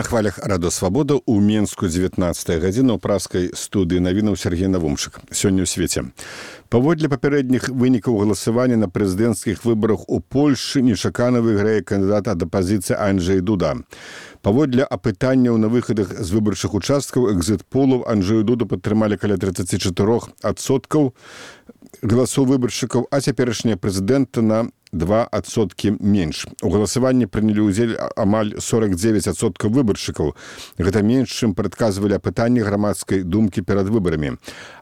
На хвалях радыёвабода ў Менску 19 гадзіна ў праскай студыі навінаў Сергей Навумчык. Сёння ў свеце. Паводле папярэдніх вынікаў галасавання на прэзідэнцкіх выбарах у Польшчы нечакана выйграе кандыдат ад апазіцыі Анджэй Дуда. Паводле апытанняў на выхадах з выбарчых участкаў экзіт-полаў Анджэю Дуду падтрымалі каля 34% галасоў выбаршчыкаў, а цяперашняя прэзідэнта на 2% менш. У галасаванні прынялі ўдзел амаль 49% выбаршчыкаў. Гэта менш, чым прадказвалі апытанні грамадскай думкі перад выбарамі.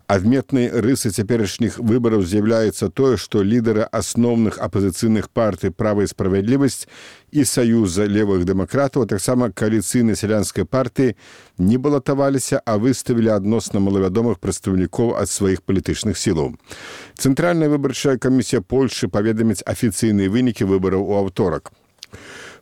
Адметнай рысай цяперашніх выбараў з'яўляецца тое, што лідары асноўных апазіцыйных партый «Права і справядлівасць» і «Саюза левых дэмакратаў», а таксама кааліцыйнай сялянскай партыі не балатаваліся, а выставілі адносна малавядомых прадстаўнікоў ад сваіх палітычных сілаў. Цэнтральная выбарчая камісія Польшчы паведаміць афіцыйныя вынікі выбараў у аўторак.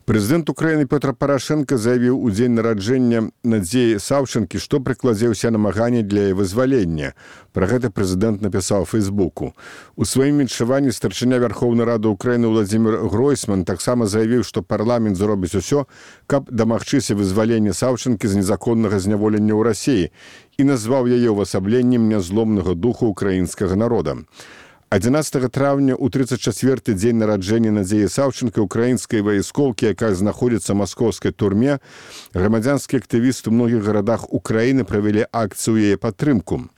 Прэзідэнт Украіны Пётр Парашенка заявіў у дзень нараджэння Надзеі Саўчанкі, што прыкладзе ўсе намаганні для яе вызвалення. Пра гэта прэзідэнт напісаў у Фейсбуку. У сваім віншаванні старшыня Вярхоўнай Рады Украіны Владзімір Гройсман таксама заявіў, што парламент зробіць усё, каб дамагчыся вызвалення Саўчанкі з незаконнага зняволення ў Расіі і назваў яе ўвасабленнем нязломнага духу украінскага народа. 11 траўня ў 34-й дзень нараджэння Надзеі Саўчанкі украінскай вайскоўкі, якая знаходзіцца ў маскоўскай турме, грамадзянскія актывісты ў многіх гарадах Украіны правялі акцыю яе падтрымку.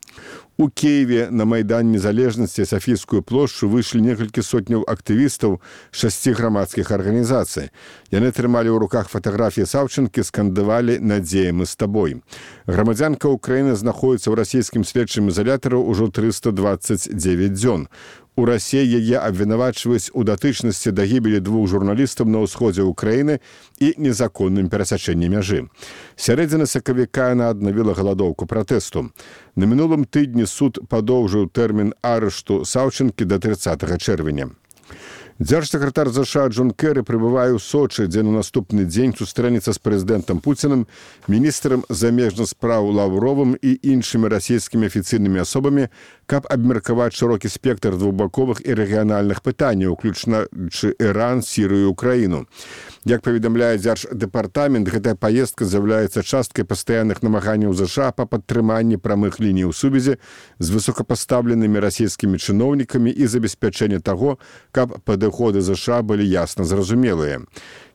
У Киеве на Майдан Незалежнасці Сафійскую плошчу выйшлі некалькі сотняў актывістаў 6 грамадскіх арганізацый. Яны трымалі ў руках фатаграфіі Саўчанкі, скандавалі «Надзея, мы з табой». Грамадзянка Украіны знаходзіцца ў расійскім следчым ізалятары ўжо 329 дзён. У Расіі яе абвінавачваюць у датычнасці да гібелі 2 журналістаў на ўсходзе Украіны і незаконным перасячэнні мяжы. Сярэдзіны сакавіка яна аднавіла галадоўку пратэсту. На мінулым тыдні суд падоўжыў тэрмін арышту Саўчанкі да 30 чэрвеня. Дзяржсакратар ЗША Джон Кэры прыбывае ў Сочы, дзе на наступны дзень сустрэнецца з прэзідэнтам Пуцінам, міністрам замежных спраў Лаўровым і іншымі расійскімі афіцыйнымі асобамі, каб абмеркаваць шырокі спектр двухбаковых і рэгіянальных пытанняў, уключаючы Іран, Сірыю і Украіну. Як паведамляе Дзярждэпартамент, гэтая паездка з'яўляецца часткай пастаянных намаганняў ЗША па падтрыманні прамых ліній сувязі з высокапастаўленымі расійскімі чыноўнікамі і забеспячэння таго, каб падыходы ЗША былі ясна зразумелыя.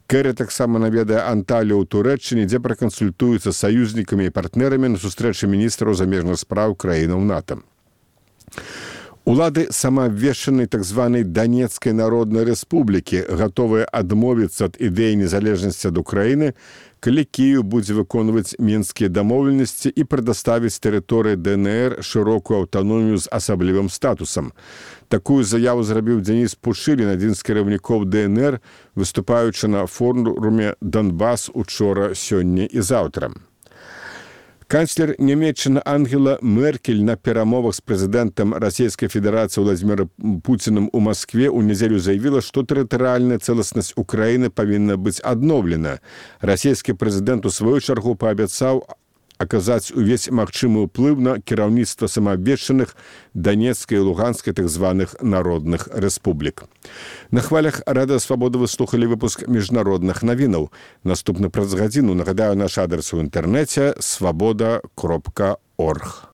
Кэры таксама наведае Анталію ў Турэччыне, дзе пракансультуецца з саюзнікамі і партнерамі на сустрэчы міністраў замежных спраў краінаў НАТО. Улады самаабвешчанай так званай Данецкай народнай рэспублікі гатовыя адмовіцца ад ідэі незалежнасці ад Украіны, калі Кіеў будзе выконваць мінскія дамоўленасці і прадаставіць тэрыторыі ДНР шырокую аўтаномію з асаблівым статусам. Такую заяву зрабіў Дзеніс Пушылін, адзін з кіраўнікоў ДНР, выступаючы на форуме «Донбас» учора, сёння і заўтра. Канцлер Нямецчыны Ангела Меркель на перамовах з прэзідэнтам Расійскай Федэрацыі Владзімірам Пуцінам у Маскве ў нядзелю заявіла, што тэрытарыяльная цэласнасць Украіны павінна быць адноўлена. Расійскі прэзідэнт у сваю чаргу паабяцаў аказаць увесь магчымы ўплыў на кіраўніцтва самаабвешчаных Данецкай і Луганскай так званых народных рэспублік. На хвалях радыёвабода вы слухалі выпуск міжнародных навінаў. Наступны праз гадзіну, нагадаю, наш адрес у інтэрнэце свабода.орг.